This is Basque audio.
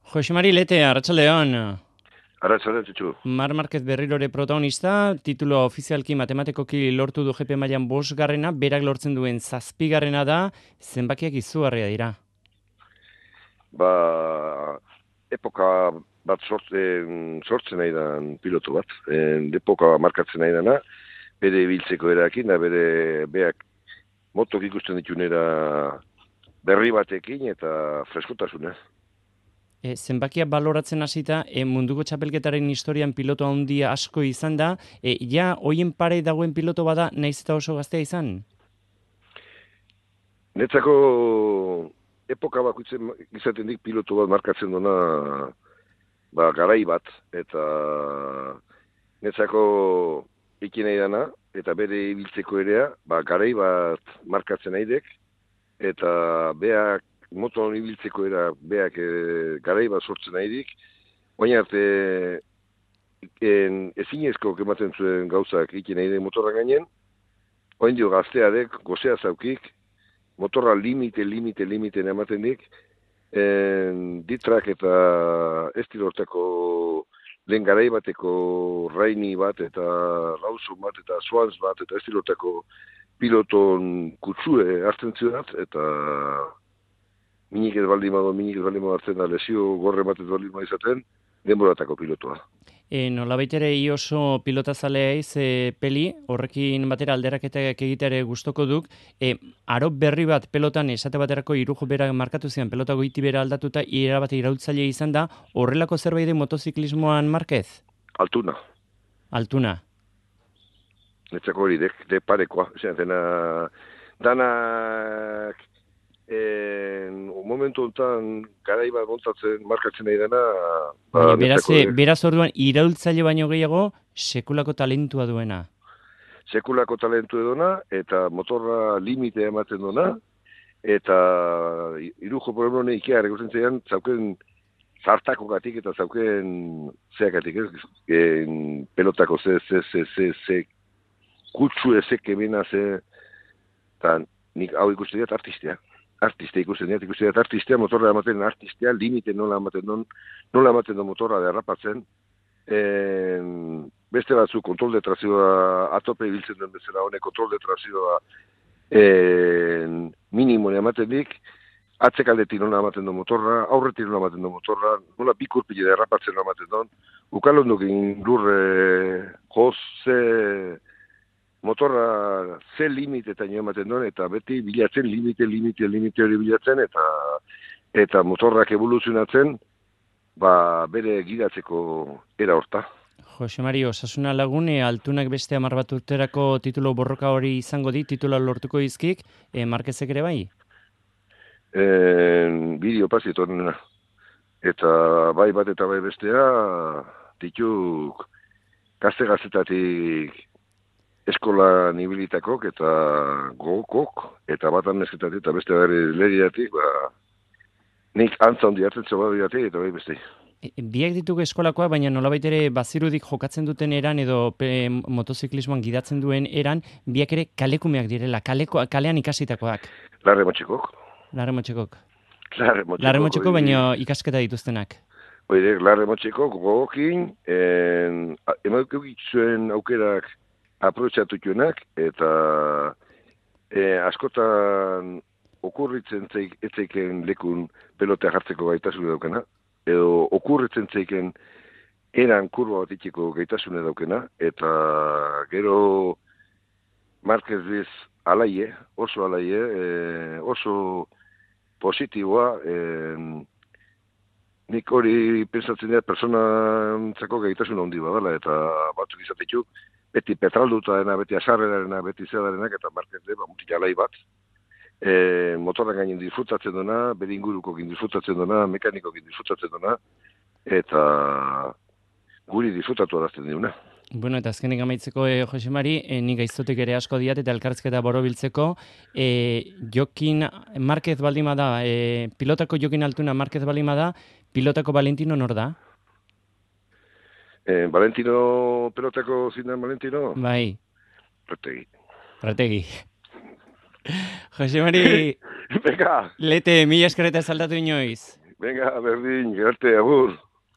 Jose Mari Lete, Arratsaldeon. Arratsaldeon, Txutxu. Mar Marquez berrirore protagonista, titulo ofizialki matematekoki lortu du GP mailan 5. berak lortzen duen 7. da, zenbakiak izugarria dira. Epoka bat sortzen nahi dan pilotu bat. Epoka markatzen nahi dana, bere ibiltzeko erakin, da beak motok ikusten ditunera berri batekin eta freskotasunez. Zenbakia baloratzen hasita, munduko txapelketaren historian piloto handia asko izan da, ja hoien pare dagoen piloto bada naiz eta oso gaztea izan? Netzako epoka bakuitzen izaten dik pilotu bat markatzen duna garai bat, eta netzako ikin nahi dana, eta bere ibiltzeko erea, garai bat markatzen nahi dek, eta beak moton ibiltzeko era beak garai bat sortzen nahi dik, baina arte ezinezko ematen zuen gauzak ikin nahi dek motorra gainen, oain dio gaztearek, gozea zaukik, motorra limite ematen dik, ditrak eta estilortako lehen garai bateko Raini bat eta Lawson bat eta Swans bat eta estilortako piloton kutsue hartzen zidat, eta minik ez baldin badu hartzen da, lesio gorre bat ez baldin badu izaten, denboratako pilotoa. Nolabait ere oso pilotazalea peli, horrekin batera alderaketak egitere gustoko duk, aro berri bat pelotan esate baterako irujo bera markatu zian, pelota goiti bera aldatuta, ira bat iraultzaile izan da, horrelako zerbait motoziklismoan Marquez? Altuna. Netzako hori, de parekoa. Danak momentu honetan garai bat montatzen markatzen nahi dena. Beraz orduan iraultzaile baino gehiago sekulako talentua duena. Sekulako talentua duena, eta motorra limite ematen duena, eta irujo problemone ikea regusten zeian, zauken zartako gatik eta zauken zeakatik, pelotako ze kutsu ezek emena eta nik hau ikusten dut artistea. Ikusten dut artistea, motorra ematen artistea, limite nola ematen du motorra derrapatzen. Beste batzu kontrol de trazioa atope ibiltzen den bezala, honek kontrol de trazioa minimo ematen dik, atzekaldetik nola ematen du motorra, aurretik nola ematen du motorra, nola bikurpile derrapatzen nola ematen du, ukalondukin lurre joz, motorra ze limitetan ematen duen, eta beti bilatzen limite hori bilatzen, eta motorrak evoluzionatzen, bere gidatzeko era horta. Jose Mari, Osasuna Lagun, Altunak beste 10 bat urterako titulo borroka hori izango di, titula lortuko izkik, Marquezek ere bai? Bideo pasietu horrena. Eta bai bat eta bai bestea, dituk gazte-gaztetatik eskola nibilitakok eta gogokok, eta bat amnezketatik eta beste leriatik, nik antza hondi hartzen zebadiatik eta bai beste. Biak ditugu eskolakoa, baina nolabait ere bazirudik jokatzen duten eran edo motoziklismoan gidatzen duen eran, biak ere kalekumeak direla, kalean ikasitakoak. Larre motxekok. Larre motxeko, baina ikasketa dituztenak. Oire, larre motxekok, gogokin, emaukik zuen aukerak aprobetxatutuenak, eta askotan okurritzen etzeiken lekun pelotea jartzeko gaitasune daukena, edo okurritzen zeiken eran kurba bat itxeko gaitasune daukena, eta gero Marquez biz alaie, oso positiboa, nik hori pensatzen dira personantzako gaitasun handi badala, eta batzuk izatetuk, beti petralduta dena, beti asarrerarena, beti zedarenak, eta Marquez mutik alai bat. Motorra gainen disfrutatzen duna, bere ingurukokin disfrutatzen duna, mekanikokin disfrutatzen duna, eta guri disfrutatu arazten diuna. Bueno, eta azkenik amaitzeko, Jose Mari, nik gaiztotik ere asko diat eta elkarrizketa borobiltzeko, Jokin Marquez baldima da, pilotako Jokin Altuna Marquez baldima da, pilotako Valentino nor da? Valentino, pelotako zindan Valentino? Bai. Prategi. Jose Mari, Beka. Lete, mila eskerreta saldatu inoiz. Venga, berdin, gerte, agur.